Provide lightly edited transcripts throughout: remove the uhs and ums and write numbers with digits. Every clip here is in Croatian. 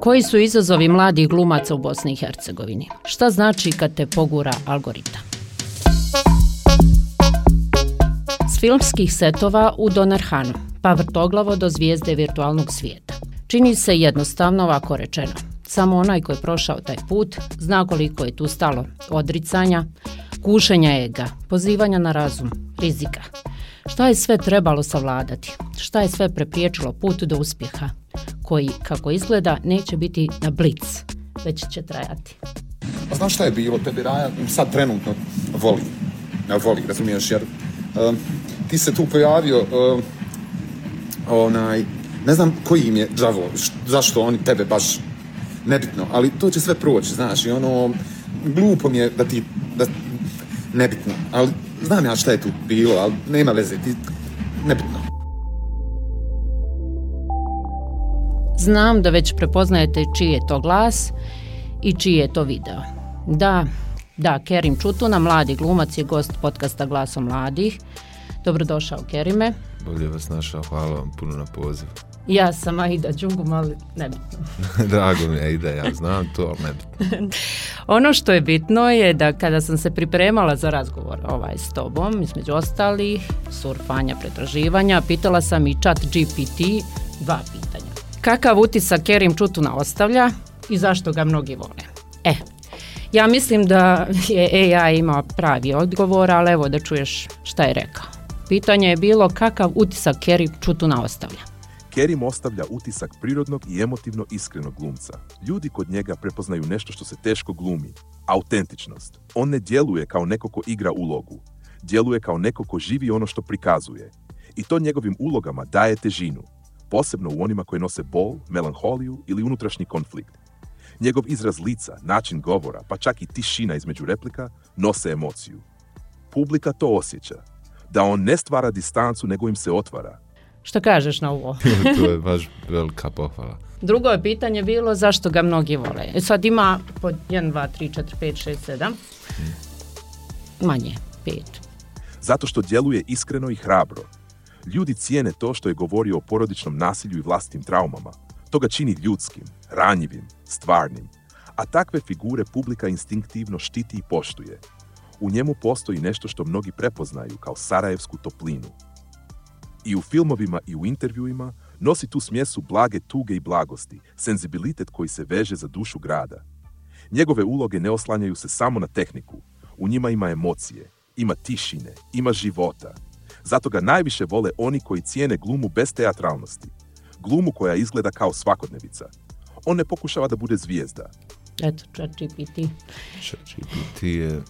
Koji su izazovi mladih glumaca u Bosni i Hercegovini? Šta znači kad te pogura algoritam? S filmskih setova u Donarhanu, pa vrtoglavo do zvijezde virtualnog svijeta. Čini se jednostavno ovako rečeno. Samo onaj ko je prošao taj put zna koliko je tu stalo odricanja, kušenja ega, pozivanja na razum, rizika. Šta je sve trebalo savladati? Šta je sve prepriječilo put do uspjeha? Koji, kako izgleda, neće biti na blic, već će trajati. A znaš šta je bilo? Tebi Raja sad trenutno voli, razumiješ, jer ti se tu pojavio, ne znam koji im je đavo, zašto oni tebe baš nebitno, ali to će sve proći, znaš, i glupo mi je da nebitno, ali znam ja šta je tu bilo, ali nema veze, nebitno. Znam da već prepoznajete čiji je to glas i čiji je to video. Da, Kerim Čutuna, mladi glumac, je gost podcasta Glasom mladih. Dobrodošao, Kerime. Bolje vas našao, hvala vam puno na poziv. Ja sam Aida Đungum, ali nebitno. Drago mi je, Aida, ja znam to, ali nebitno. Ono što je bitno je da kada sam se pripremala za razgovor s tobom, između ostalih surfanja, pretraživanja, pitala sam i ChatGPT 2 pitanja. Kakav utisak Kerim Čutuna ostavlja i zašto ga mnogi vole? Ja mislim da je AI imao pravi odgovor, ali evo da čuješ šta je rekao. Pitanje je bilo kakav utisak Kerim Čutuna ostavlja. Kerim ostavlja utisak prirodnog i emotivno iskrenog glumca. Ljudi kod njega prepoznaju nešto što se teško glumi. Autentičnost. On ne djeluje kao neko ko igra ulogu. Djeluje kao neko ko živi ono što prikazuje. I to njegovim ulogama daje težinu. Posebno u onima koji nose bol, melanholiju ili unutrašnji konflikt. Njegov izraz lica, način govora, pa čak i tišina između replika, nose emociju. Publika to osjeća. Da on ne stvara distancu, nego im se otvara. Što kažeš na ovo? To je baš velika pohvala. Drugo je pitanje bilo zašto ga mnogi vole. Sad ima pod 1, 2, 3, 4, 5, 6, 7. Manje, 5. Zato što djeluje iskreno i hrabro. Ljudi cijene to što je govorio o porodičnom nasilju i vlastitim traumama. To ga čini ljudskim, ranjivim, stvarnim. A takve figure publika instinktivno štiti i poštuje. U njemu postoji nešto što mnogi prepoznaju kao sarajevsku toplinu. I u filmovima i u intervjuima nosi tu smjesu blage tuge i blagosti, senzibilitet koji se veže za dušu grada. Njegove uloge ne oslanjaju se samo na tehniku. U njima ima emocije, ima tišine, ima života. Zato ga najviše vole oni koji cijene glumu bez teatralnosti. Glumu koja izgleda kao svakodnevica. On ne pokušava da bude zvijezda. Eto, ChatGPT. ChatGPT je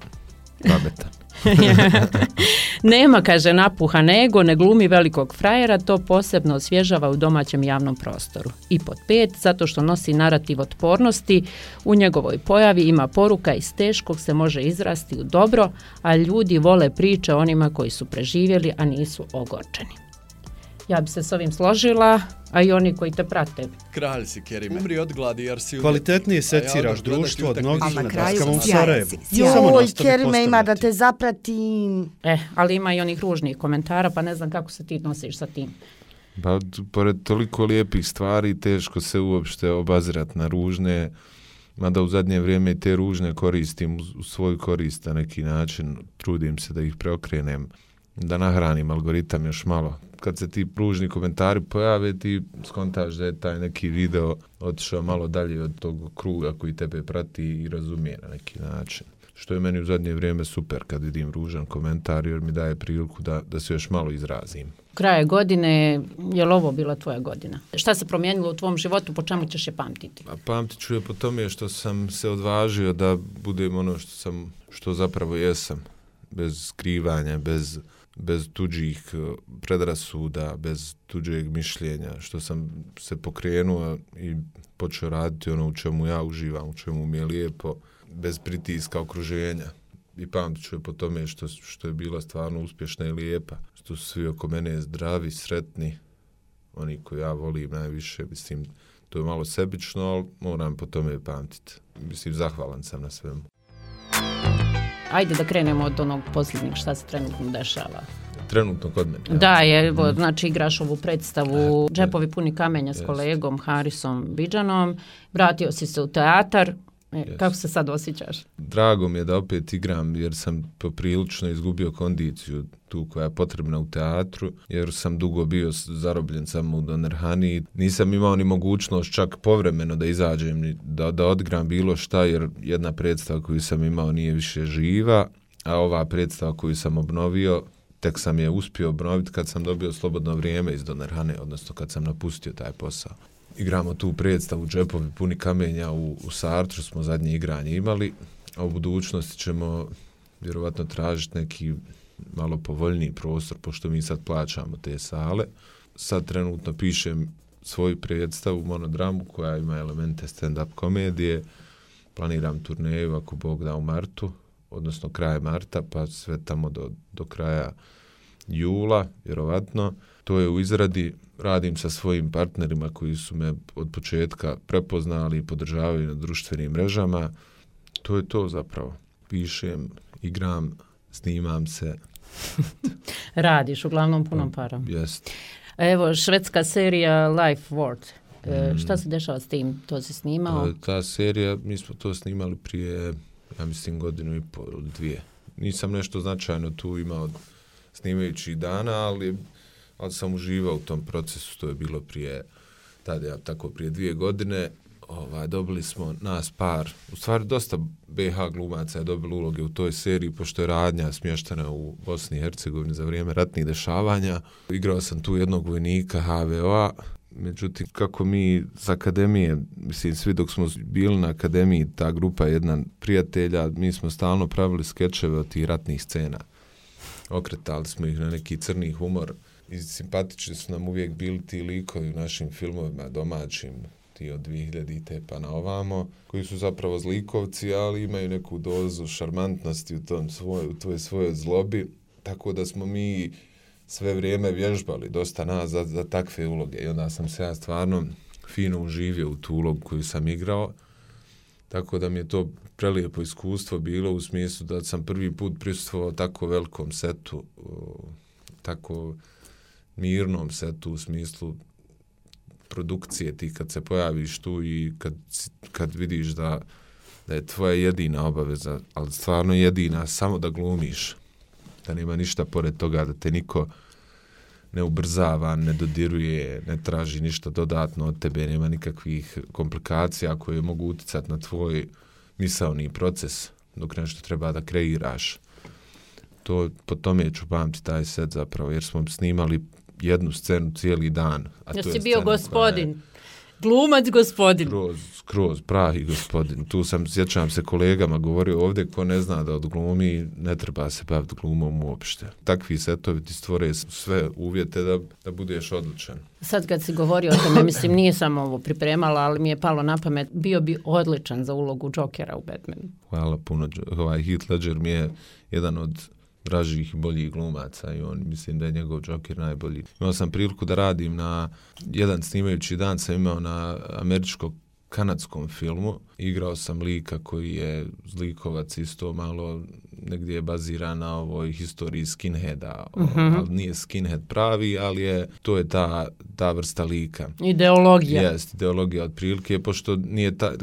pametan. Nema, kaže, napuhan ego, ne glumi velikog frajera, to posebno osvježava u domaćem javnom prostoru. I pod 5, zato što nosi narativ otpornosti, u njegovoj pojavi ima poruka iz teškog se može izrasti u dobro, a ljudi vole priče o onima koji su preživjeli, a nisu ogorčeni. Ja bi se s ovim složila, a i oni koji te prate. Kralj si, Kerime. Umri od gladi jer si... Kvalitetnije seciraš društvo od mnogih na daskama u Sarajevu. Joj, Kerime, ima da te zapratim. Ali ima i onih ružnih komentara, pa ne znam kako se ti nosiš sa tim. Pa, pored toliko lijepih stvari, teško se uopšte obazirati na ružne, mada u zadnje vrijeme te ružne koristim u svoj korist na neki način, trudim se da ih preokrenem, da nahranim algoritam još malo. Kad se ti ružni komentari pojave, ti skontaš da je taj neki video otišao malo dalje od tog kruga koji tebe prati i razumije na neki način. Što je meni u zadnje vrijeme super kad vidim ružan komentar, jer mi daje priliku da se još malo izrazim. Kraje godine, je li ovo bila tvoja godina? Šta se promijenilo u tvom životu, po čemu ćeš je pamtiti? Pamtit ću je po tome što sam se odvažio da budem ono što zapravo jesam. Bez skrivanja, bez tuđih predrasuda, bez tuđeg mišljenja, što sam se pokrenuo i počeo raditi ono u čemu ja uživam, u čemu mi je lijepo, bez pritiska okruženja. I pamtit ću je po tome što je bila stvarno uspješna i lijepa, što su svi oko mene zdravi, sretni, oni koji ja volim najviše, mislim, to je malo sebično, ali moram po tome pamtiti. Mislim, zahvalan sam na svemu. Ajde da krenemo od onog posljednjeg šta se trenutno dešava. trenutno kod mene. Da, znači igraš ovu predstavu Džepovi puni kamenja s kolegom Harisom Bidžanom, vratio si se u teatar. Kako se sad osjećaš? Drago mi je da opet igram jer sam poprilično izgubio kondiciju tu koja je potrebna u teatru, jer sam dugo bio zarobljen samo u Donerhani. Nisam imao ni mogućnost čak povremeno da izađem, da odigram bilo šta, jer jedna predstava koju sam imao nije više živa, a ova predstava koju sam obnovio, tek sam je uspio obnoviti kad sam dobio slobodno vrijeme iz Donerhane, odnosno kad sam napustio taj posao. Igramo tu predstavu Džepovi puni kamenja u Sartru, smo zadnje igranje imali, a u budućnosti ćemo vjerovatno tražiti neki malo povoljniji prostor, pošto mi sad plaćamo te sale. Sad trenutno pišem svoju predstavu, monodramu, koja ima elemente stand-up komedije. Planiram turneju, ako Bog da, u martu, odnosno kraj marta, pa sve tamo do kraja jula, vjerovatno. To je u izradi, radim sa svojim partnerima koji su me od početka prepoznali i podržavaju na društvenim mrežama. To je to zapravo. Pišem, igram, snimam se. Radiš, uglavnom punom parom. Jest. Evo, švedska serija Life Ward. Šta se dešava s tim? To si snimao? Ta serija, mi smo to snimali prije, ja mislim, 1.5 godina ili 2. Nisam nešto značajno tu imao snimajući dana, ali sam uživao u tom procesu. To je bilo prije 2 godine. Dobili smo nas par, u stvari dosta BH glumaca je dobilo uloge u toj seriji, pošto je radnja smještena u Bosni i Hercegovini za vrijeme ratnih dešavanja. Igrao sam tu jednog vojnika HVO-a, međutim, kako mi s akademije, mislim, svi dok smo bili na akademiji, ta grupa jedna prijatelja, mi smo stalno pravili skečeve od tih ratnih scena. Okretali smo ih na neki crni humor i simpatični su nam uvijek bili ti likovi u našim filmovima domaćim, ti od 2000 pa na ovamo, koji su zapravo zlikovci, ali imaju neku dozu šarmantnosti u toj svojoj zlobi, tako da smo mi sve vrijeme vježbali, dosta nas, za takve uloge. I onda sam se ja stvarno fino uživio u tu ulogu koju sam igrao, tako da mi je to prelijepo iskustvo bilo u smislu da sam prvi put prisustvovao tako velikom setu, tako mirnom setu u smislu produkcije, ti kad se pojaviš tu i kad vidiš da je tvoja jedina obaveza, ali stvarno jedina, samo da glumiš, da nema ništa pored toga, da te niko ne ubrzava, ne dodiruje, ne traži ništa dodatno od tebe, nema nikakvih komplikacija koje mogu utjecati na tvoj misaoni proces dok nešto treba da kreiraš. Po tome ću pamtiti taj set zapravo, jer smo snimali jednu scenu cijeli dan. Ja si bio gospodin. Glumac gospodin. Skroz, pravi gospodin. Tu sjećam se kolegama govorio ovdje, ko ne zna da odglumi, ne treba se baviti glumom uopšte. Takvi setovi ti stvore sve uvjete da budeš odličan. Sad kad si govorio o tome, mislim, nije samo ovo pripremala, ali mi je palo na pamet, bio bi odličan za ulogu Jokera u Batmanu. Hvala puno. Heath Ledger mi je jedan od dražih i boljih glumaca i mislim da je njegov Joker najbolji. Imao sam priliku da radim na jedan snimajući dan, sam imao na američko-kanadskom filmu. Igrao sam lika koji je zlikovac, isto malo negdje je baziran na ovoj historiji skinheada, ali nije skinhead pravi, ali to je ta vrsta lika. Ideologija. Jest, ideologija otprilike, pošto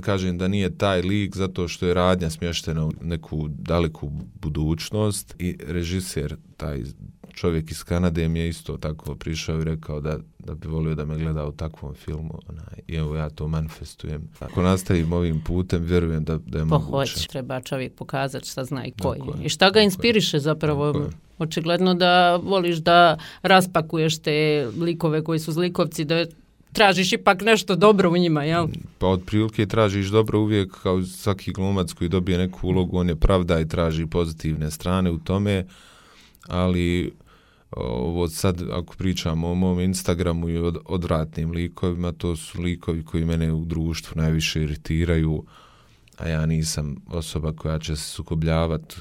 kažem da nije taj lik zato što je radnja smještena u neku daleku budućnost i režiser, taj čovjek iz Kanade, mi je isto tako prišao i rekao da bi volio da me gleda u takvom filmu. I evo ja to manifestujem. Ako nastavim ovim putem, vjerujem da je moguće. Treba čovjek pokazati šta zna i koji. I šta ga inspiriše zapravo? Očigledno da voliš da raspakuješ te likove koji su zlikovci, da tražiš ipak nešto dobro u njima, jel? Pa otprilike tražiš dobro uvijek, kao svaki glumac koji dobije neku ulogu, on je pravda i traži pozitivne strane u tome, ali ovo sad, ako pričamo o mom Instagramu i odvratnim likovima, to su likovi koji mene u društvu najviše iritiraju, a ja nisam osoba koja će se sukobljavati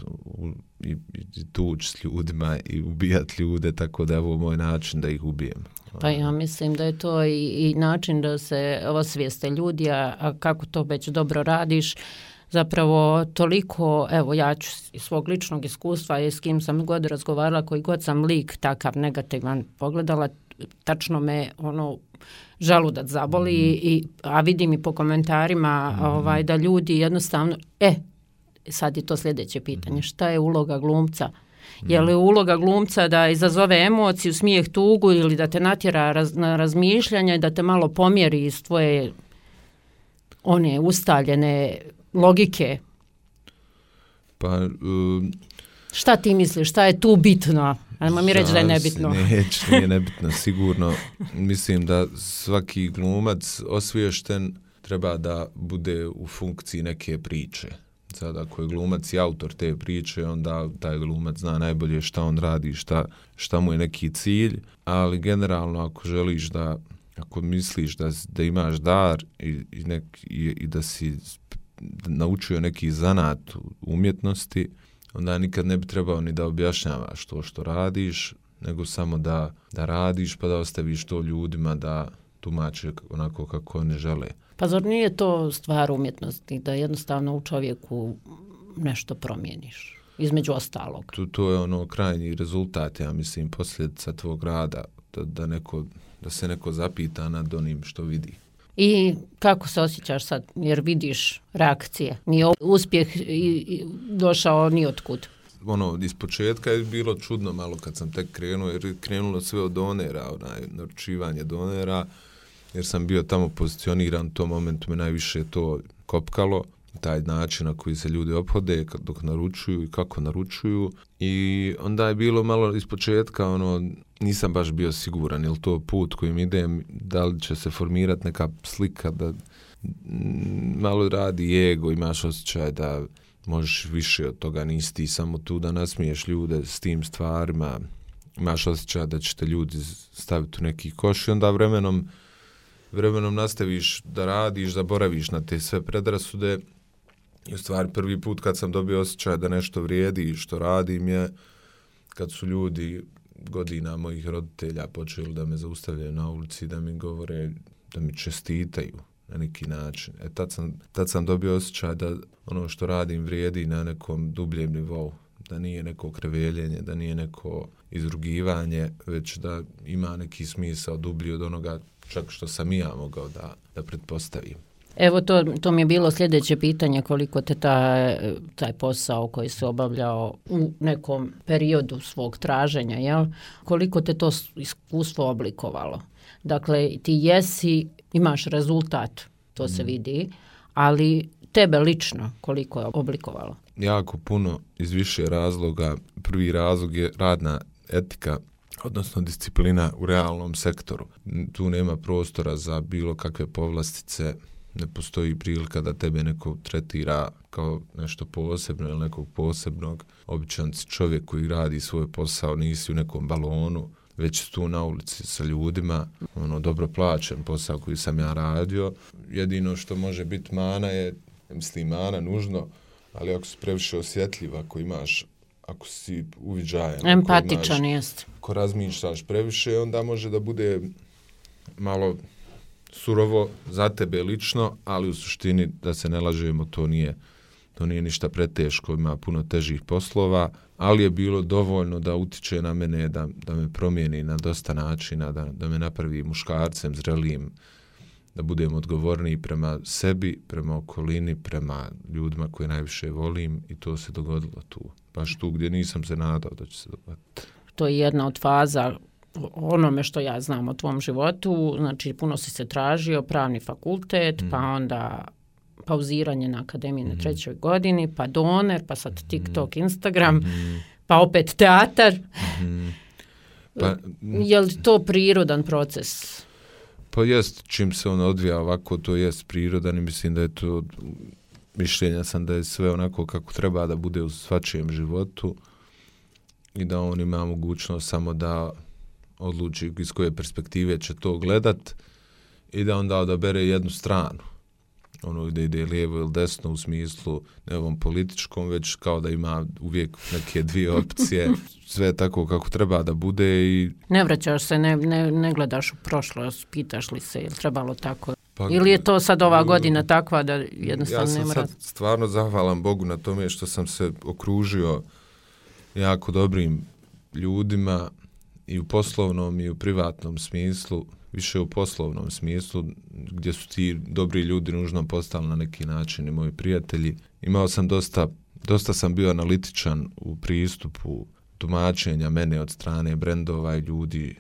i tući s ljudima i ubijati ljude, tako da je ovo moj način da ih ubijem. Pa ja mislim da je to i način da se osvijeste ljudi, a kako to već dobro radiš, zapravo toliko, evo ja ću iz svog ličnog iskustva i s kim sam god razgovarala, koji god sam lik takav negativan pogledala, tačno me želudac zaboli, a vidim i po komentarima da ljudi jednostavno, sad je to sljedeće pitanje, šta je uloga glumca? Je li uloga glumca da izazove emociju, smijeh, tugu ili da te natjera na razmišljanje, da te malo pomjeri iz tvoje one ustaljene logike? Pa... Šta ti misliš? Šta je tu bitno? Ajmo mi reći da je nebitno. Nije nebitno, sigurno. Mislim da svaki glumac osviješten treba da bude u funkciji neke priče. Sad ako je glumac i autor te priče, onda taj glumac zna najbolje šta on radi, šta mu je neki cilj, ali generalno ako želiš ako misliš da imaš dar i da si naučio neki zanat umjetnosti, onda nikad ne bi trebao ni da objašnjavaš to što radiš, nego samo da radiš pa da ostaviš to ljudima da tumače onako kako oni žele. Pa zar nije to stvar umjetnosti, da jednostavno u čovjeku nešto promijeniš, između ostalog? To je krajnji rezultat, ja mislim, posljedica tvog rada, da se neko zapita nad onim što vidi. I kako se osjećaš sad, jer vidiš reakcije? Nije uspjeh došao ni otkud. Iz početka je bilo čudno malo kad sam tek krenuo, jer je krenulo sve od donera, naručivanje donera, jer sam bio tamo pozicioniran, u tom momentu me najviše to kopkalo, taj način na koji se ljudi ophode dok naručuju i kako naručuju. I onda je bilo malo iz početka, nisam baš bio siguran, je li to put kojim idem, da li će se formirati neka slika da malo radi ego, imaš osjećaj da možeš više od toga, nisi ti samo tu da nasmiješ ljude s tim stvarima, imaš osjećaj da će te ljudi staviti u neki koš i onda vremenom nastaviš da radiš, zaboraviš na te sve predrasude. I u stvari prvi put kad sam dobio osjećaj da nešto vrijedi i što radim je kad su ljudi godina mojih roditelja počeli da me zaustavljaju na ulici, da mi govore, da mi čestitaju na neki način. Tad sam dobio osjećaj da ono što radim vrijedi na nekom dubljem nivou, da nije neko kreveljenje, da nije neko izrugivanje, već da ima neki smisao dublji od onoga čak što sam i ja mogao da pretpostavim. Evo to mi je bilo sljedeće pitanje, koliko te taj posao koji se obavljao u nekom periodu svog traženja, jel? Koliko te to iskustvo oblikovalo? Dakle, ti imaš rezultat, to se vidi, ali tebe lično koliko je oblikovalo? Jako puno, iz više razloga. Prvi razlog je radna etika, odnosno disciplina u realnom sektoru. Tu nema prostora za bilo kakve povlastice, ne postoji prilika da tebe neko tretira kao nešto posebno ili nekog posebnog. Običan si čovjek koji radi svoj posao, nisi u nekom balonu, već tu na ulici sa ljudima, dobro plaćen posao koji sam ja radio. Jedino što može biti mana je, mislim mana nužno, ali ako si previše osjetljiv, ako si uviđajan, empatičan jest. Ako razmišljaš previše, onda može da bude malo surovo za tebe lično, ali u suštini, da se ne lažemo, to nije ništa preteško, ima puno težih poslova, ali je bilo dovoljno da utiče na mene, da me promijeni na dosta načina, da me napravi muškarcem, zrelijim, da budem odgovorniji prema sebi, prema okolini, prema ljudima koje najviše volim, i to se dogodilo tu. Baš tu gdje nisam se nadao da će se dogoditi. To je jedna od faza onome što ja znam o tvom životu, znači puno si se tražio, pravni fakultet, pa onda pauziranje na akademiji na 3. godini, pa doner, pa sad TikTok, Instagram, pa opet teatar. Pa, je li to prirodan proces? Pa jest, čim se on odvija ovako, to jest prirodan i mislim da je to, mišljenja sam da je sve onako kako treba da bude u svačijem životu i da on ima mogućnost samo da odluči iz koje perspektive će to gledat i da onda odabere jednu stranu. Gdje ide lijevo ili desno u smislu ne ovom političkom, već kao da ima uvijek neke dvije opcije. Sve je tako kako treba da bude i... Ne vraćaš se, ne gledaš u prošlost, pitaš li se je li trebalo tako? Pa, ili je to sad ova godina takva da jednostavno nema... Ja sam sad stvarno zahvalan Bogu na tome što sam se okružio jako dobrim ljudima i u poslovnom i u privatnom smislu, više u poslovnom smislu, gdje su ti dobri ljudi nužno postali na neki način i moji prijatelji. Imao sam dosta sam bio analitičan u pristupu tumačenja mene od strane brendova i ljudi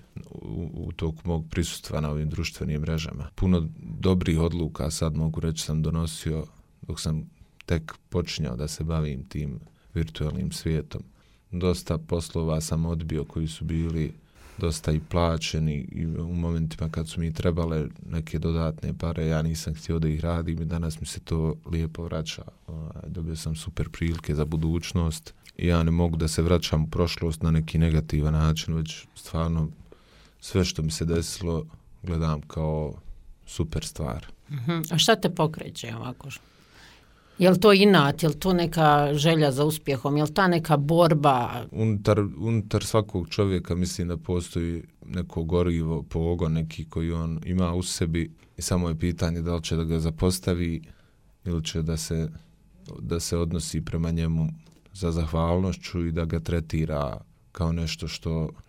u toku mog prisustva na ovim društvenim mrežama. Puno dobrih odluka, sad mogu reći, sam donosio dok sam tek počinjao da se bavim tim virtualnim svijetom. Dosta poslova sam odbio koji su bili dosta i plaćeni i u momentima kad su mi trebale neke dodatne pare, ja nisam htio da ih radim i danas mi se to lijepo vraća. Dobio sam super prilike za budućnost i ja ne mogu da se vraćam u prošlost na neki negativan način, već stvarno sve što mi se desilo gledam kao super stvar. A šta te pokreće ovako? Je li to inat, je li to neka želja za uspjehom, je li ta neka borba? Unutar svakog čovjeka mislim da postoji neko gorivo, pogon neki koji on ima u sebi i samo je pitanje da li će da ga zapostavi ili će da se odnosi prema njemu za zahvalnošću i da ga tretira kao nešto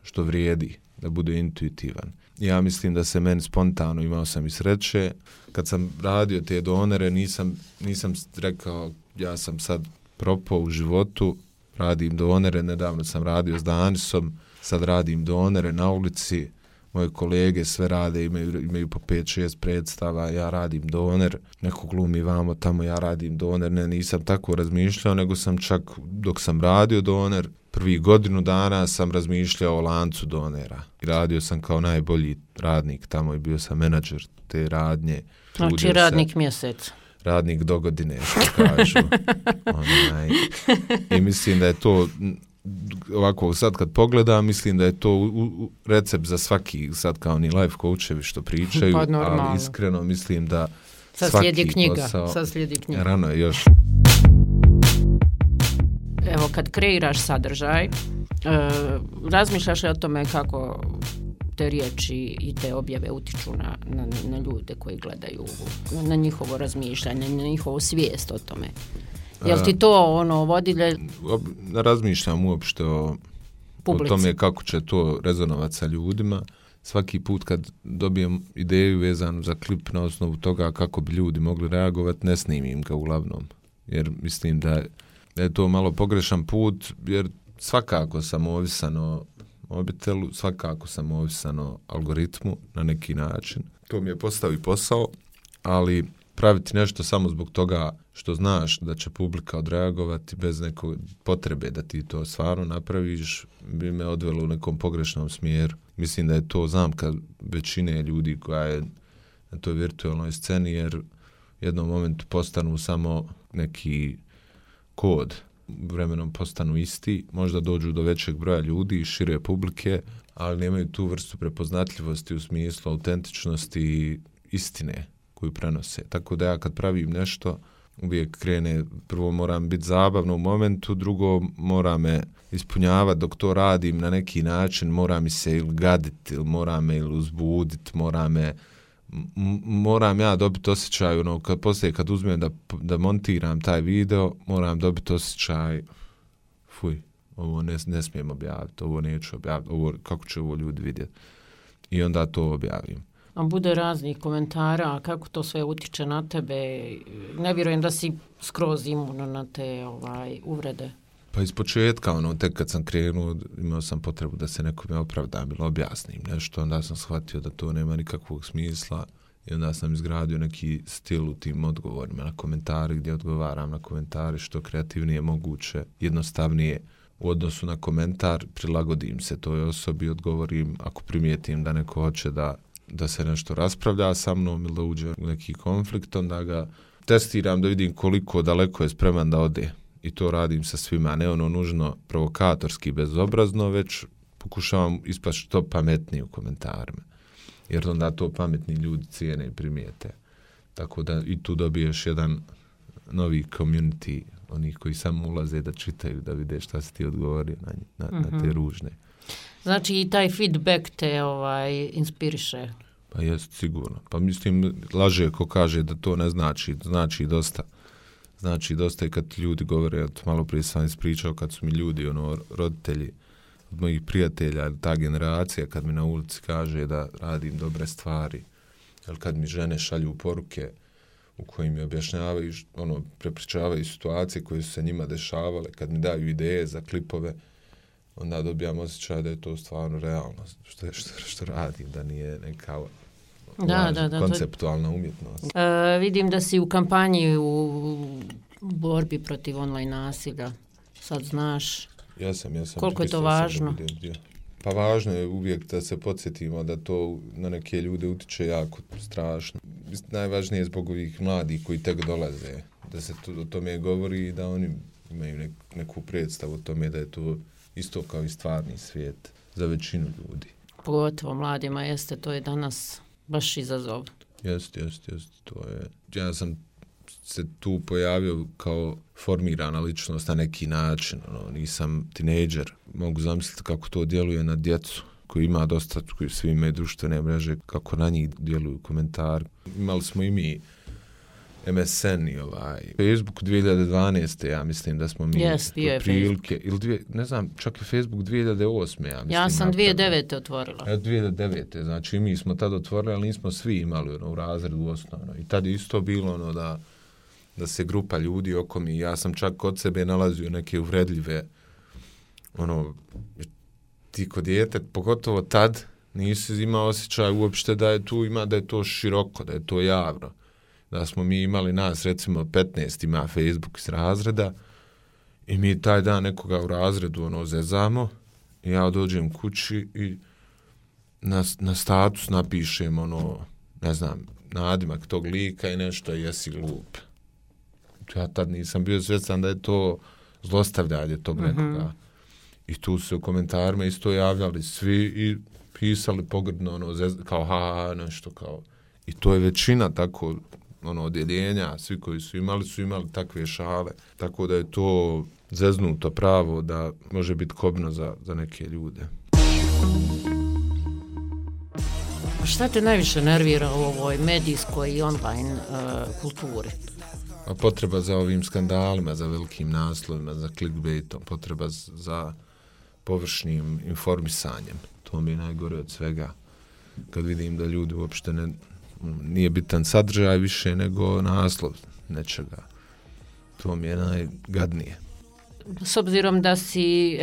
što vrijedi, da bude intuitivan. Ja mislim da se meni spontano, imao sam i sreće, kad sam radio te donere, nisam rekao ja sam sad propao u životu, radim donere, nedavno sam radio s Danisom, sad radim donere na ulici, moje kolege sve rade, imaju po 5-6 predstava, ja radim doner, neko glumi vamo tamo, ja radim doner, ne, nisam tako razmišljao, nego sam čak dok sam radio doner, prvih godinu dana sam razmišljao o lancu donera. I radio sam kao najbolji radnik tamo i bio sam menadžer te radnje. Znači radnik mjesec. Radnik do godine, što kažu. I mislim da je to, ovako sad kad pogledam, mislim da je to recept za svaki, sad kao ni life coachevi što pričaju, pa, ali iskreno mislim da sad svaki posao... Sad slijedi knjiga. Rano je još. Evo, kad kreiraš sadržaj, razmišljaš li o tome kako te riječi i te objave utiču na ljude koji gledaju, na njihovo razmišljanje, na njihovu svijest o tome? Jel ti to vodilje? Razmišljam uopšte o tome kako će to rezonovati sa ljudima. Svaki put kad dobijem ideju vezanu za klip na osnovu toga kako bi ljudi mogli reagovati, ne snimim ga uglavnom. Jer mislim da je to malo pogrešan put, jer svakako sam ovisan o mobitelu, svakako sam ovisan o algoritmu na neki način. To mi je postao i posao, ali praviti nešto samo zbog toga što znaš da će publika odreagovati bez nekog potrebe da ti to stvarno napraviš, bi me odvelo u nekom pogrešnom smjeru. Mislim da je to zamka većine ljudi koja je na toj virtualnoj sceni, jer u jednom momentu postanu samo neki kod, vremenom postanu isti, možda dođu do većeg broja ljudi i šire publike, ali nemaju tu vrstu prepoznatljivosti u smislu autentičnosti i istine koju prenose. Tako da ja kad pravim nešto, uvijek krene, prvo moram biti zabavno u momentu, drugo mora me ispunjavati dok to radim na neki način, mora mi se ili gaditi, ili mora me ili uzbuditi, moram ja dobiti osjećaj, poslije kad uzmem da montiram taj video, moram dobiti osjećaj, fuj, ovo ne smijem objaviti, ovo neću objaviti, kako će ovo ljudi vidjeti. I onda to objavim. A bude raznih komentara, kako to sve utiče na tebe? Ne vjerujem da si skroz imuno na te uvrede. Pa iz početka, tek kad sam krenuo, imao sam potrebu da se nekome opravdam ili objasnim nešto, onda sam shvatio da to nema nikakvog smisla i onda sam izgradio neki stil u tim odgovorima na komentari, gdje odgovaram na komentari što kreativnije moguće, jednostavnije u odnosu na komentar, prilagodim se toj osobi, odgovorim ako primijetim da neko hoće da se nešto raspravlja sa mnom ili da uđe u neki konflikt, onda ga testiram da vidim koliko daleko je spreman da ode. I to radim sa svima, ne nužno provokatorski, bezobrazno, već pokušavam ispasti što pametniji u komentarima. Jer onda to pametni ljudi cijene i primijete. Tako da i tu dobiješ jedan novi community, onih koji samo ulaze da čitaju, da vide šta si ti odgovorio na te ružne. Znači i taj feedback te inspiriše. Pa jest sigurno. Pa mislim, laže ko kaže da to ne znači. Znači dosta. Znači dosta i kad ljudi govore, malo prije sam ispričao, kad su mi ljudi, roditelji od mojih prijatelja, ta generacija, kad mi na ulici kaže da radim dobre stvari, ili kad mi žene šalju poruke u kojim mi objašnjavaju, prepričavaju situacije koje su se njima dešavale, kad mi daju ideje za klipove, onda dobijam osjećaj da je to stvarno realno, što radim, da nije neka konceptualna umjetnost. Vidim da si u kampanji u borbi protiv online nasilja. Sad znaš. Jesam. Koliko je to važno? Pa važno je uvijek da se podsjetimo da to na neke ljude utiče jako strašno. Najvažnije je zbog ovih mladih koji tek dolaze, da se o tome govori i da oni imaju neku predstavu o tome da je to isto kao i stvarni svijet za većinu ljudi. Pogotovo mladima to je danas baš izazov. Jest, to je. Ja sam se tu pojavio kao formirana ličnost na neki način, nisam tinejdžer. Mogu zamisliti kako to djeluje na djecu koji ima dosta, koji svi imaju društvene mreže, kako na njih djeluju komentari. Imali smo i mi MSN i Facebook 2012. Ja mislim da smo mi prilike, ili ne znam, čak i Facebook 2008. Ja mislim. Ja sam 2009. otvorila. 2009. Znači mi smo tad otvorili, ali nismo svi imali u razredu osnovno. I tad je isto bilo da se grupa ljudi oko mi, ja sam čak kod sebe nalazio neke uvredljive, ti kod dijete, pogotovo tad, nisi imao osjećaj uopšte da je tu da je to široko, da je to javno. Da smo mi imali nas, recimo 15 ima Facebook iz razreda i mi taj dan nekoga u razredu zezamo i ja dođem kući i na status napišem ne znam, nadimak tog lika i nešto jesi glup. Ja tad nisam bio svjestan da je to zlostavljanje tog nekoga. I tu se u komentarima isto javljali svi i pisali pogrdno, kao nešto kao. I to je većina tako odjeljenja, svi koji su imali takve šale. Tako da je to zeznuto pravo da može biti kobno za neke ljude. Šta te najviše nervira u ovoj medijskoj i online kulturi? A potreba za ovim skandalima, za velikim naslovima, za clickbaitom, potreba za površnim informisanjem. To mi je najgore od svega. Kad vidim da ljudi uopšte nije bitan sadržaj više nego naslov nečega. To mi je najgadnije. S obzirom da si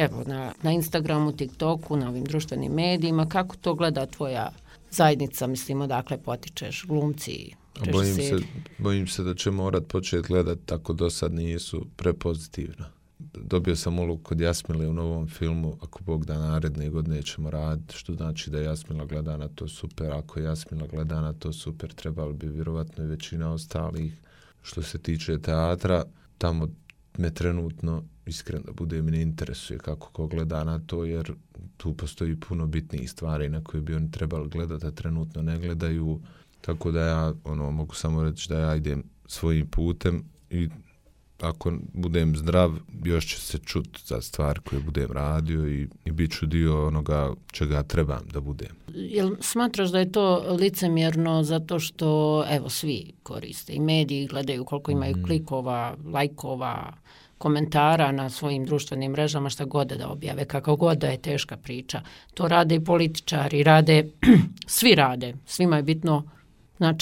na Instagramu, TikToku, na ovim društvenim medijima, kako to gleda tvoja zajednica, mislim, odakle potičeš, glumci? Bojim se da će morat početi gledati, tako do sad nisu prepozitivno. Dobio sam ulogu kod Jasmile u novom filmu, ako Bog da naredne godine ćemo raditi, što znači da Jasmila gleda na to super, ako Jasmila gleda na to super, trebalo bi vjerovatno i većina ostalih. Što se tiče teatra, tamo me trenutno, iskreno da bude, mi ne interesuje kako ko gleda na to, jer tu postoji puno bitnijih stvari na koje bi oni trebali gledati, a trenutno ne gledaju. Tako da ja mogu samo reći da ja idem svojim putem i ako budem zdrav, još će se čuti za stvar koje budem radio i bit ću dio onoga čega trebam da budem. Jel smatraš da je to licemjerno zato što, svi koriste i mediji, gledaju koliko imaju klikova, lajkova, komentara na svojim društvenim mrežama, šta god da objave, kako god da je teška priča. To rade i političari, svi rade, svima je bitno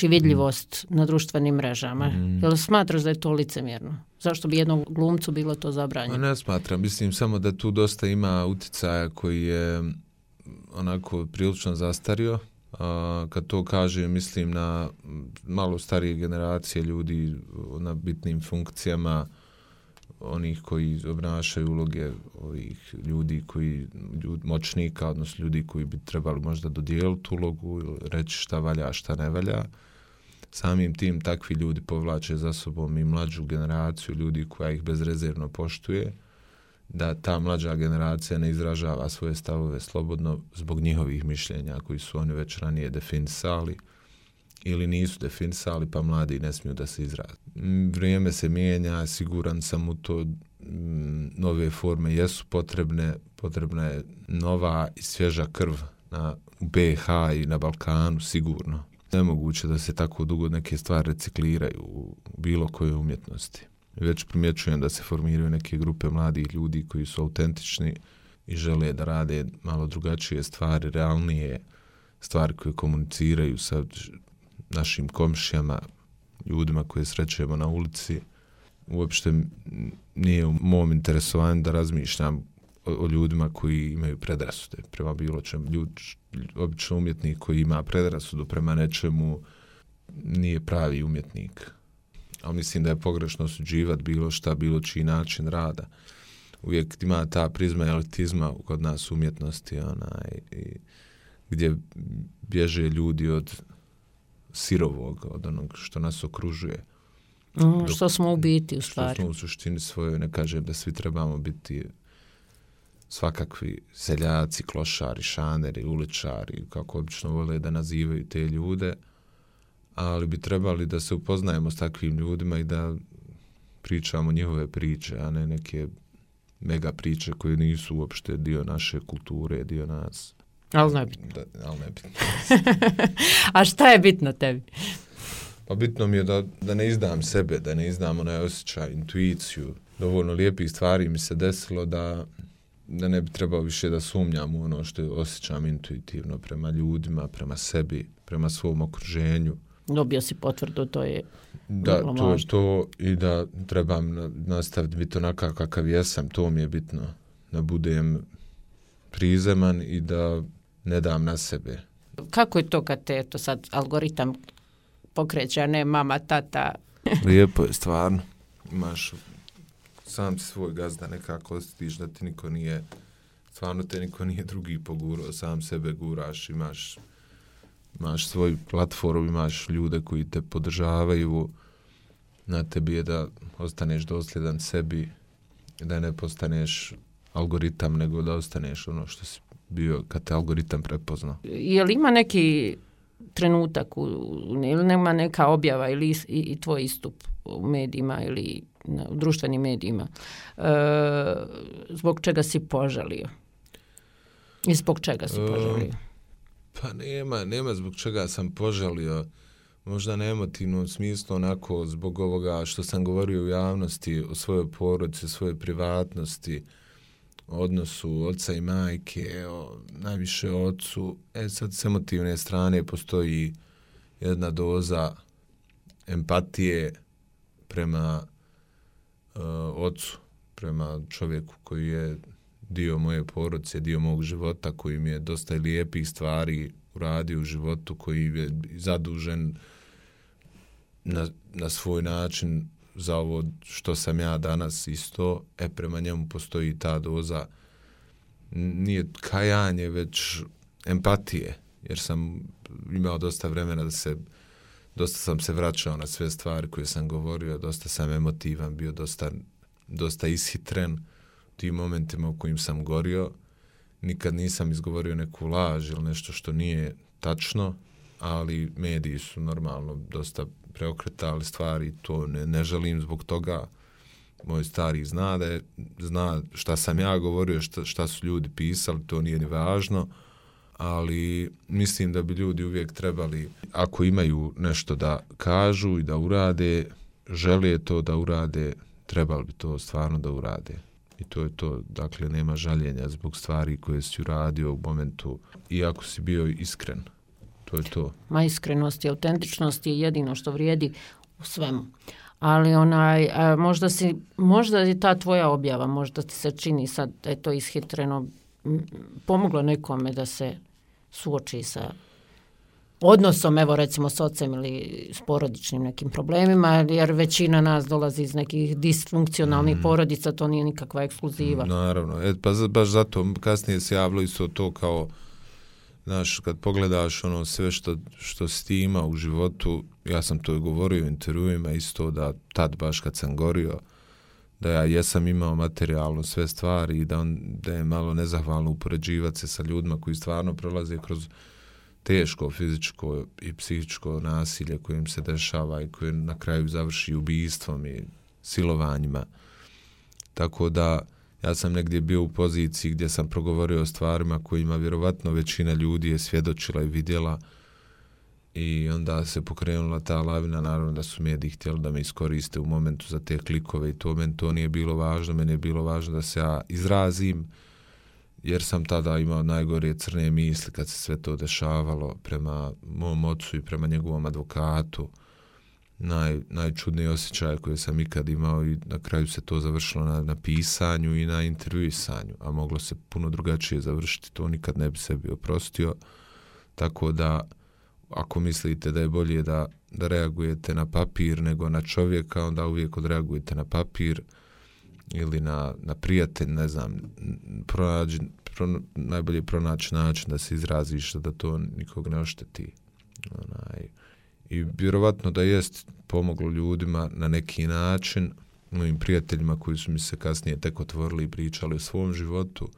vidljivost na društvenim mrežama. Jel smatraš da je to licemjerno? Zašto bi jednom glumcu bilo to zabranjeno? Ne smatram. Mislim samo da tu dosta ima uticaja koji je onako prilično zastario. Kad to kažem, mislim na malo starije generacije ljudi na bitnim funkcijama, onih koji obnašaju uloge ovih ljudi moćnika, odnosno ljudi koji bi trebali možda dodijeliti ulogu ili reći šta valja, šta ne valja. Samim tim takvi ljudi povlače za sobom i mlađu generaciju ljudi koja ih bezrezervno poštuje, da ta mlađa generacija ne izražava svoje stavove slobodno zbog njihovih mišljenja koji su oni već ranije definisali ili nisu definisali, pa mladi ne smiju da se izraze. Vrijeme se mijenja, siguran sam u to, nove forme jesu potrebne, potrebna je nova i svježa krv u BiH i na Balkanu sigurno. Nemoguće da se tako dugo neke stvari recikliraju u bilo kojoj umjetnosti. Već primjećujem da se formiraju neke grupe mladih ljudi koji su autentični i žele da rade malo drugačije stvari, realnije stvari koje komuniciraju sa našim komšijama, ljudima koje srećemo na ulici. Uopšte nije u mom interesovanju da razmišljam o ljudima koji imaju predrasude prema bilo čemu. Obično umjetnik koji ima predrasudu prema nečemu nije pravi umjetnik. Ali mislim da je pogrešno osuđivati bilo šta, bilo čiji način rada. Uvijek ima ta prizma elitizma kod nas umjetnosti, gdje bježe ljudi od sirovog, od onog što nas okružuje. Što smo u biti, u stvari. Što smo u suštini svojoj, ne kažem da svi trebamo biti svakakvi seljaci, klošari, šaneri, uličari, kako obično vole da nazivaju te ljude, ali bi trebali da se upoznajemo s takvim ljudima i da pričamo njihove priče, a ne neke mega priče koje nisu uopšte dio naše kulture, dio nas. Ali nebitno. Ali nebitno. A šta je bitno tebi? Pa bitno mi je da ne izdam sebe, da ne izdam onaj osjećaj, intuiciju. Dovoljno lijepih stvari mi se desilo da ne bi trebao više da sumnjam u ono što osjećam intuitivno prema ljudima, prema sebi, prema svom okruženju. Dobio si potvrdu, to je da, to je to i da trebam nastaviti biti onakav kakav jesam, to mi je bitno. Da budem prizeman i da ne dam na sebe. Kako je to kad te to sad algoritam pokreće, a ne mama, tata? Lijepo je, stvarno. Imaš sam svoj gazda, nekako osjetiš da ti niko nije, stvarno te niko nije drugi pogurao, sam sebe guraš, imaš svoj platform, imaš ljude koji te podržavaju, na tebi je da ostaneš dosljedan sebi, da ne postaneš algoritam, nego da ostaneš ono što si bio kad te algoritam prepoznao. Je li ima neki trenutak ili nema neka objava ili i tvoj istup u medijima ili u društvenim medijima zbog čega si požalio? I zbog čega si požalio? Pa nema zbog čega sam požalio. Možda na emotivnom smislu, onako zbog ovoga što sam govorio u javnosti o svojoj porodici, o svojoj privatnosti, odnosu oca i majke, najviše o ocu. Sad s emotivne strane postoji jedna doza empatije prema ocu, prema čovjeku koji je dio moje porodice, dio mog života, koji mi je dosta lijepih stvari uradio u životu, koji je zadužen na svoj način za ovo što sam ja danas isto, prema njemu postoji ta doza, nije kajanje, već empatije, jer sam imao dosta vremena dosta sam se vraćao na sve stvari koje sam govorio, dosta sam emotivan, bio dosta ishitren u tim momentima u kojim sam gorio. Nikad nisam izgovorio neku laž ili nešto što nije tačno, ali mediji su normalno dosta preokretali stvari, to ne želim zbog toga. Moj stari zna šta sam ja govorio, šta su ljudi pisali, to nije ni važno, ali mislim da bi ljudi uvijek trebali, ako imaju nešto da kažu i da urade, žele to da urade, trebali bi to stvarno da urade. I to je to, dakle, nema žaljenja zbog stvari koje si uradio u momentu, iako si bio iskren. To je to. Ma iskrenost i autentičnost je jedino što vrijedi u svemu. Ali možda je ta tvoja objava, možda ti se čini sad da je to ishitreno, pomoglo nekome da se suoči sa odnosom, evo recimo s ocem ili s porodičnim nekim problemima, jer većina nas dolazi iz nekih disfunkcionalnih porodica, to nije nikakva ekskluziva. Naravno, pa baš zato kasnije se javilo isto to kao, znaš, kad pogledaš ono sve što si ti imao u životu, ja sam to i govorio u intervjuima isto, da tad baš kad sam gorio, da ja jesam imao materijalno sve stvari i da je malo nezahvalno upoređivati se sa ljudima koji stvarno prolaze kroz teško fizičko i psihičko nasilje koje im se dešava i koje na kraju završi ubistvom i silovanjima. Tako da Ja sam negdje bio u poziciji gdje sam progovorio o stvarima kojima vjerovatno većina ljudi je svjedočila i vidjela i onda se pokrenula ta lavina, naravno da su mediji htjeli da me iskoriste u momentu za te klikove i to nije bilo važno, meni je bilo važno da se ja izrazim jer sam tada imao najgore crne misli kad se sve to dešavalo prema mom ocu i prema njegovom advokatu. Najčudnije osjećaje koje sam ikad imao i na kraju se to završilo na pisanju i na intervjuisanju, a moglo se puno drugačije završiti, to nikad ne bi sebi oprostio, tako da ako mislite da je bolje da reagujete na papir nego na čovjeka, onda uvijek odreagujete na papir ili na prijatelj, ne znam, najbolje pronaći način da se izraziš da to nikog ne ošteti. I vjerovatno da jest pomoglo ljudima na neki način, mojim prijateljima koji su mi se kasnije tek otvorili i pričali o svom životu.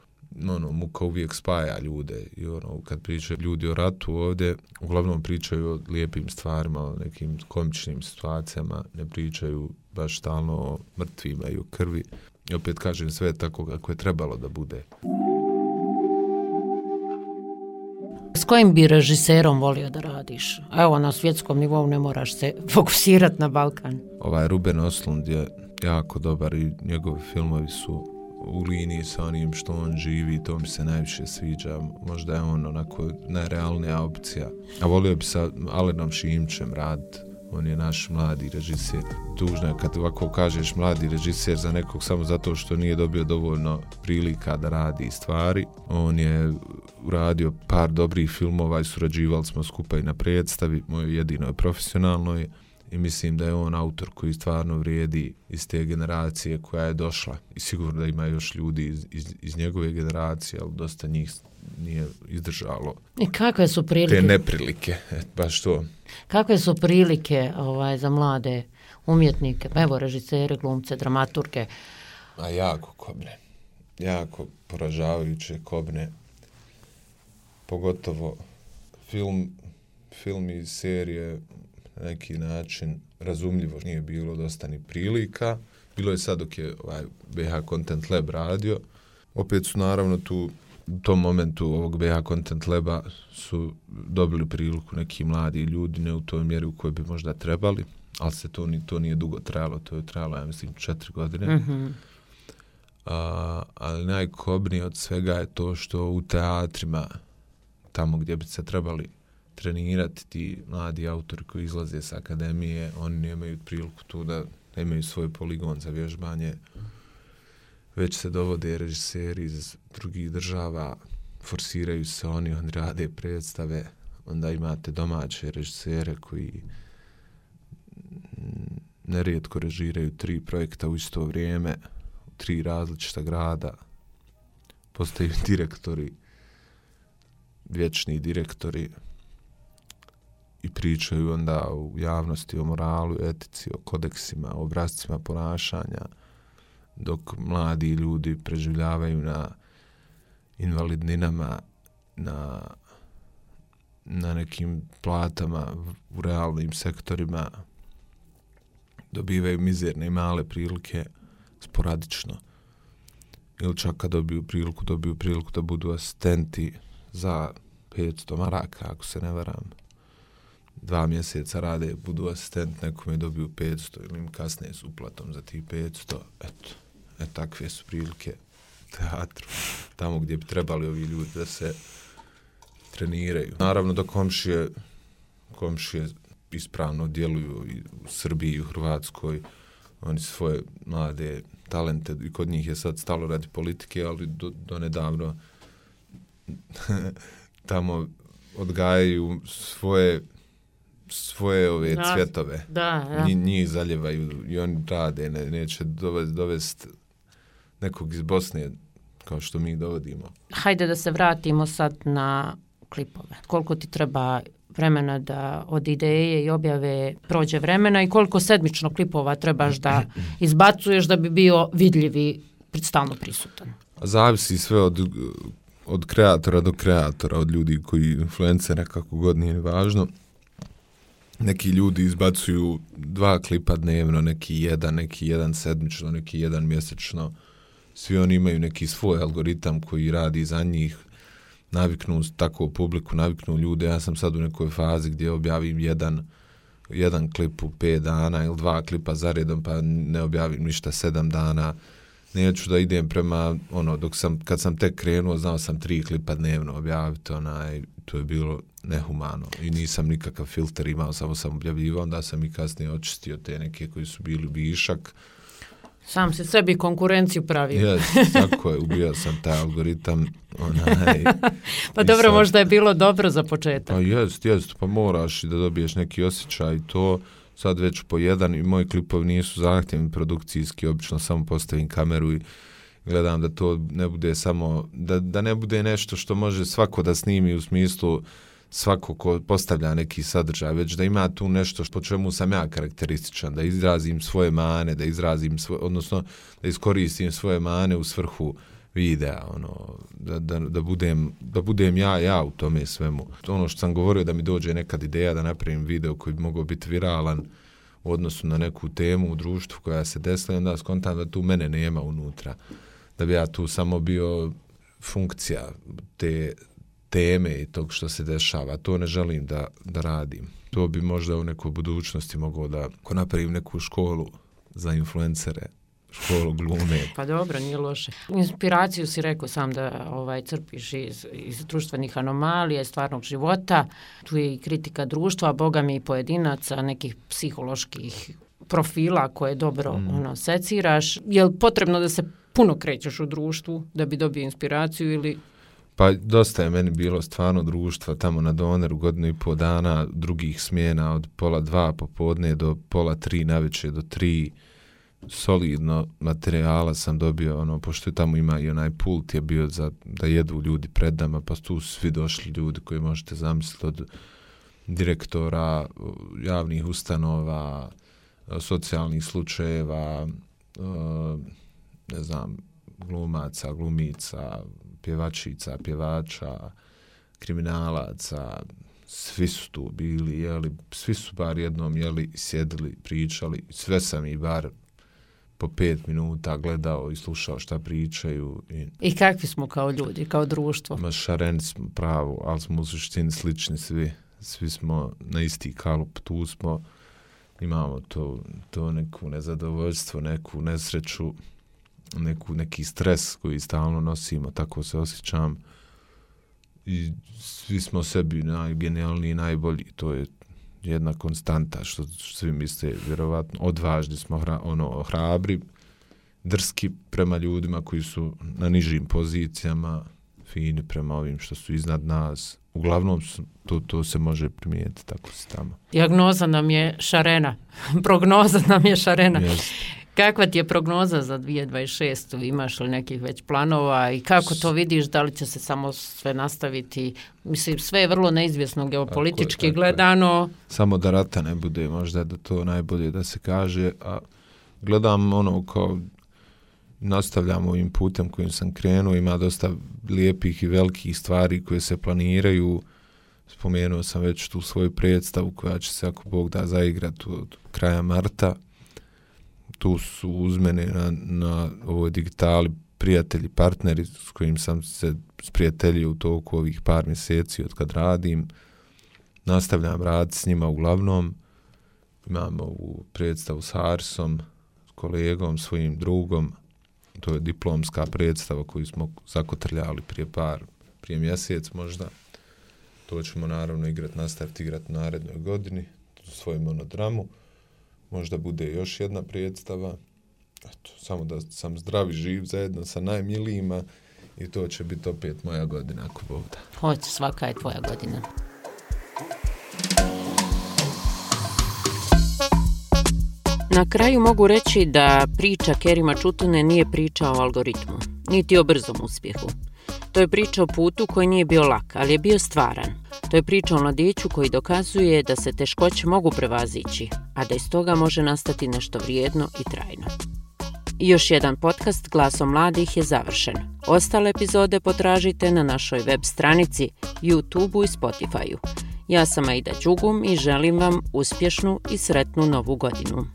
Muka uvijek spaja ljude i kad pričaju ljudi o ratu ovdje, uglavnom pričaju o lijepim stvarima, o nekim komičnim situacijama, ne pričaju baš stalno o mrtvima i o krvi. I opet kažem, sve je tako kako je trebalo da bude. S kojim bi režiserom volio da radiš? Evo, na svjetskom nivou ne moraš se fokusirati na Balkan. Ruben Östlund je jako dobar i njegovi filmovi su u liniji sa onim što on živi i to mi se najviše sviđa. Možda je on onako najrealnija opcija. A volio bi sa Alenom Šimčem raditi. On je naš mladi režiser. Tužno je kad ovako kažeš mladi režiser za nekog samo zato što nije dobio dovoljno prilika da radi stvari. On je uradio par dobrih filmova i surađivali smo skupa i na predstavi, mojoj jedinoj profesionalnoj. I mislim da je on autor koji stvarno vrijedi iz te generacije koja je došla. I sigurno da ima još ljudi iz njegove generacije, ali dosta njih nije izdržalo. I kakve su prilike? Te neprilike, baš to. Kakve su prilike za mlade umjetnike, evo režisere, glumce, dramaturge? A jako kobne. Jako poražavajuće kobne. Pogotovo film iz serije na neki način razumljivo nije bilo dosta ni prilika. Bilo je sad dok je BH Content Lab radio. Opet su naravno tu u tom momentu ovog BH Content Laba su dobili priliku neki mladi ljudi, ne u toj mjeri u kojoj bi možda trebali, ali se to nije dugo trajalo, to je trajalo, ja mislim, 4 godine. Mm-hmm. Ali najkobnije od svega je to što u teatrima, tamo gdje bi se trebali trenirati ti mladi autori koji izlaze s akademije, oni nemaju priliku tu da nemaju svoj poligon za vježbanje, već se dovode režiseri iz drugih država, forsiraju se oni rade predstave, onda imate domaće režisere koji nerijetko režiraju 3 projekta u isto vrijeme, u 3 različita grada, postaju direktori, vječni direktori i pričaju onda u javnosti o moralu, etici, o kodeksima, o obrascima ponašanja, dok mladi ljudi preživljavaju na invalidninama, na nekim platama u realnim sektorima, dobivaju mizerne i male prilike sporadično. Ili čak kad dobiju priliku da budu asistenti za 500 maraka, ako se ne varam. 2 mjeseca rade, budu asistent, nekome dobiju 500 ili im kasnije s uplatom za tih 500. Takve su prilike teatru, tamo gdje bi trebali ovi ljudi da se treniraju. Naravno da komšije ispravno djeluju i u Srbiji i u Hrvatskoj, oni svoje mlade talente, i kod njih je sad stalo radi politike, ali do nedavno tamo odgajaju svoje ove cvjetove. Da. Njih zaljevaju i oni rade, neće dovesti nekog iz Bosne kao što mi dovodimo. Hajde da se vratimo sad na klipove. Koliko ti treba vremena da od ideje i objave prođe vremena i koliko sedmično klipova trebaš da izbacuješ da bi bio vidljivi, stalno prisutan? Zavisi sve od kreatora do kreatora, od ljudi koji influencera, kako god nije važno. Neki ljudi izbacuju 2 klipa dnevno, neki jedan sedmično, neki jedan mjesečno. svi oni imaju neki svoj algoritam koji radi za njih, naviknu tako publiku, naviknu ljude. Ja sam sad u nekoj fazi gdje objavim jedan klip u 5 dana ili 2 klipa za redom, pa ne objavim ništa 7 dana. Neću da idem prema, kad sam tek krenuo, znao sam 3 klipa dnevno objaviti, to je bilo nehumano i nisam nikakav filter imao, samo sam objavljivao, onda sam i kasnije očistio te neke koji su bili višak. Sam se sebi konkurenciju pravio. Tako je, ubio sam taj algoritam. Pa dobro, sad, možda je bilo dobro za početak. Pa jest, pa moraš da dobiješ neki osjećaj i to. Sad već po jedan i moji klipovi nisu zahtjevni produkcijski, obično samo postavim kameru i gledam da to ne bude samo, da ne bude nešto što može svako da snimi u smislu svako ko postavlja neki sadržaj, već da ima tu nešto po čemu sam ja karakterističan, da izrazim svoje mane, odnosno da iskoristim svoje mane u svrhu videa, da budem ja u tome svemu. Ono što sam govorio, da mi dođe nekad ideja da napravim video koji bi mogao biti viralan u odnosu na neku temu u društvu koja se desila, onda skontam da tu mene nema unutra, da bi ja tu samo bio funkcija te teme i tog što se dešava. To ne želim da radim. To bi možda u nekoj budućnosti mogao da, ako napravim neku školu za influencere, školu glume. Pa dobro, nije loše. Inspiraciju si rekao sam da crpiš iz društvenih anomalija, iz stvarnog života. Tu je i kritika društva, boga mi i pojedinaca, nekih psiholoških profila koje dobro seciraš. Je li potrebno da se puno krećeš u društvu da bi dobio inspiraciju ili... Pa dosta je meni bilo stvarno društva tamo na Doneru 1,5 dana, drugih smjena od 1:30 popodne do 2:30 navečer do 3. Solidno materijala sam dobio, pošto je tamo ima i onaj pult je bio da jedu ljudi pred nama, pa tu su svi došli ljudi koji možete zamisliti, od direktora javnih ustanova, socijalnih slučajeva, ne znam, glumaca, glumica, pjevačica, pjevača, kriminalaca, svi su tu bili, jeli, svi su bar jednom jeli, sjedili, pričali, sve sam i bar po 5 minuta gledao i slušao šta pričaju. I kakvi smo kao ljudi, kao društvo? Ma šareni smo pravo, ali smo u suštini slični svi. Svi smo na isti kalup, tu smo, imamo to neku nezadovoljstvo, neku nesreću, neki stres koji stalno nosimo, tako se osjećam. I svi smo sebi najgenijalniji, najbolji, to je jedna konstanta što svi misle, vjerovatno. Odvažni smo, hrabri, drski prema ljudima koji su na nižim pozicijama, fini prema ovim što su iznad nas. Uglavnom to se može primijetiti, tako se tamo. Dijagnoza nam je šarena, prognoza nam je šarena. Yes. Kakva ti je prognoza za 2026? Imaš li nekih već planova i kako to vidiš? Da li će se samo sve nastaviti? Mislim, sve je vrlo neizvjesno geopolitički tako gledano. Samo da rata ne bude, možda da to najbolje da se kaže. A gledam kao nastavljam ovim putem kojim sam krenuo. Ima dosta lijepih i velikih stvari koje se planiraju. Spomenuo sam već tu svoju predstavu koja će se, ako Bog da, zaigrati od kraja marta. Tu su uz mene na ovoj digitali prijatelji, partneri s kojim sam se sprijateljio u toku ovih par mjeseci od kad radim. Nastavljam raditi s njima uglavnom. Imamo ovu predstavu s Harsom, s kolegom, svojim drugom. To je diplomska predstava koju smo zakotrljali prije mjesec možda. To ćemo naravno nastaviti igrati u narednoj godini, svoju monodramu. Možda bude još jedna predstava. Eto, samo da sam zdrav i živ zajedno sa najmilijima i to će biti opet moja godina, ako Bog da. Hoće, svaka je tvoja godina. Na kraju mogu reći da priča Kerima Čutune nije priča o algoritmu, niti o brzom uspjehu. To je priča o putu koji nije bio lak, ali je bio stvaran. To je priča o mladiću koji dokazuje da se teškoće mogu prevazići, a da iz toga može nastati nešto vrijedno i trajno. I još jedan podcast Glasom mladih je završen. Ostale epizode potražite na našoj web stranici, YouTubeu i Spotifyu. Ja sam Aida Đugum i želim vam uspješnu i sretnu novu godinu.